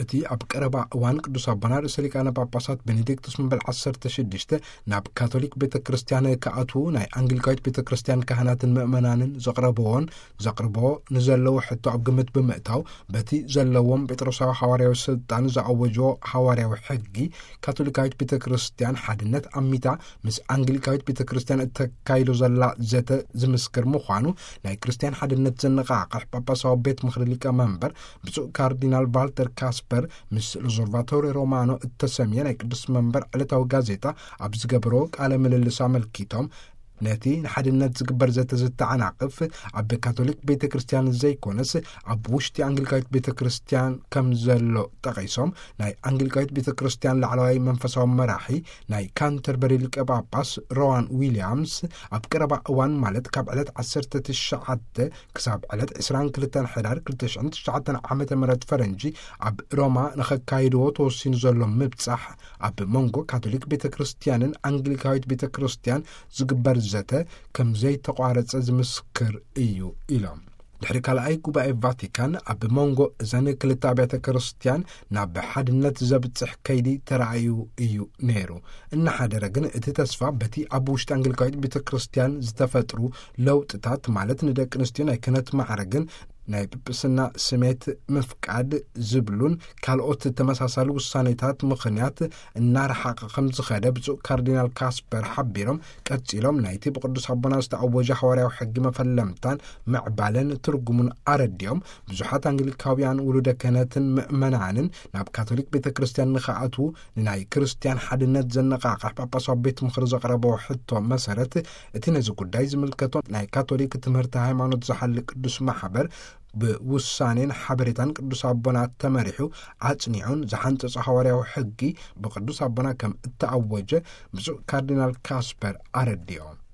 እቲ ኣብ ቀረባ እዋን ቅዱስ ኣቦና ርእሰ ሊቃነ ጳጳሳት ቤኔዲክቱስ መበል ዓሰርተ ሽዱሽተ ናብ ካቶሊክ ቤተ ክርስቲያን ክኣትዉ ናይ ኣንግሊካዊት ቤተ ክርስቲያን ካህናትን ምእመናንን ዘቕረብዎን ዘቕርቦ ንዘለዎ ሕቶ ኣብ ግምት ብምእታው፣ በቲ ዘለዎም ጴጥሮሳዊ ሓዋርያዊ ስልጣን ዝኣወጅዎ ሓዋርያዊ ሕጊ፣ ካቶሊካዊት ቤተ ክርስቲያን ሓድነት ኣሚታ ምስ ኣንግሊካዊት ቤተ ክርስቲያን እተካይዶ ዘላ ዘተ ዝምስክር ምዃኑ ናይ ክርስቲያን ሓድነት ዘነቓቕሕ ጳጳሳዊ ቤት ምኽሪ ሊቀ መንበር ብፁዕ ካርዲናል ቫልተር ካስፐር ምስ ሎዞርቫቶሪ ሮማኖ እተሰምየ ናይ ቅዱስ መንበር ዕለታዊ ጋዜጣ ኣብ ዝገበሮ ቃለ ምልልስ ኣመልኪቶም፣ ነቲ ንሓድነት ዝግበር ዘተ ዝተዓናቕፍ ኣብ ካቶሊክ ቤተ ክርስቲያን ዘይኮነስ ኣብ ውሽጢ ኣንግሊካዊት ቤተ ክርስቲያን ከም ዘሎ ጠቒሶም፣ ናይ ኣንግሊካዊት ቤተ ክርስቲያን ላዕለዋይ መንፈሳዊ መራሒ ናይ ካንተርበሪ ሊቀ ጳጳስ ሮዋን ዊልያምስ ኣብ ቀረባ እዋን ማለት ካብ ዕለት ዓሰርተ ትሽዓተ ክሳብ ዕለት ዕስራን ክልተን ሕዳር ክልተ ሽሕን ትሽዓተን ዓመተ ምህረት ፈረንጂ ኣብ ሮማ ንኸካይድዎ ተወሲኑ ዘሎ ምብጻሕ ኣብ መንጎ ካቶሊክ ቤተ ክርስቲያንን ኣንግሊካዊት ቤተ ክርስቲያን ዝግበር ዘተ ከም ዘይተቋረጸ ዝምስክር እዩ ኢሎም። ድሕሪ ካልኣይ ጉባኤ ቫቲካን ኣብ መንጎ እዘን ክልተ ኣብያተ ክርስቲያን ናብ ሓድነት ዘብጽሕ ከይዲ ተራእዩ እዩ ነይሩ። እናሓደረ ግን እቲ ተስፋ በቲ ኣብ ውሽጢ ኣንግሊካዊት ቤተ ክርስቲያን ዝተፈጥሩ ለውጥታት ማለት ንደቂ ኣንስትዮ ናይ ክህነት ማዕረግን ናይ ጵጵስና ስሜት ምፍቃድ ዝብሉን ካልኦት ተመሳሳሊ ውሳኔታት ምኽንያት እናረሓቐ ከም ዝኸደ ብፁዕ ካርዲናል ካስፐር ሓቢሮም፣ ቀጺሎም ናይቲ ብቅዱስ ኣቦና ዝተኣወጀ ሓዋርያዊ ሕጊ መፈለምታን ምዕባለን ትርጉሙን ኣረዲኦም፣ ብዙሓት ኣንግሊካውያን ውሉደ ክህነትን ምእመናንን ናብ ካቶሊክ ቤተ ክርስቲያን ንኸኣትዉ ንናይ ክርስቲያን ሓድነት ዘነቓቕሕ ጳጳሳዊ ቤት ምኽሪ ዘቕረቦ ሕቶ መሰረት፣ እቲ ነዚ ጉዳይ ዝምልከቶ ናይ ካቶሊክ ትምህርቲ ሃይማኖት ዝሓሊ ቅዱስ ማሕበር ብውሳኔን ሓበሬታን ቅዱስ ኣቦና ተመሪሑ ኣጽኒዑን ዝሓንጸጾ ሓዋርያዊ ሕጊ ብቅዱስ ኣቦና ከም እተኣወጀ ብፁዕ ካርዲናል ካስፐር ኣረዲኦም።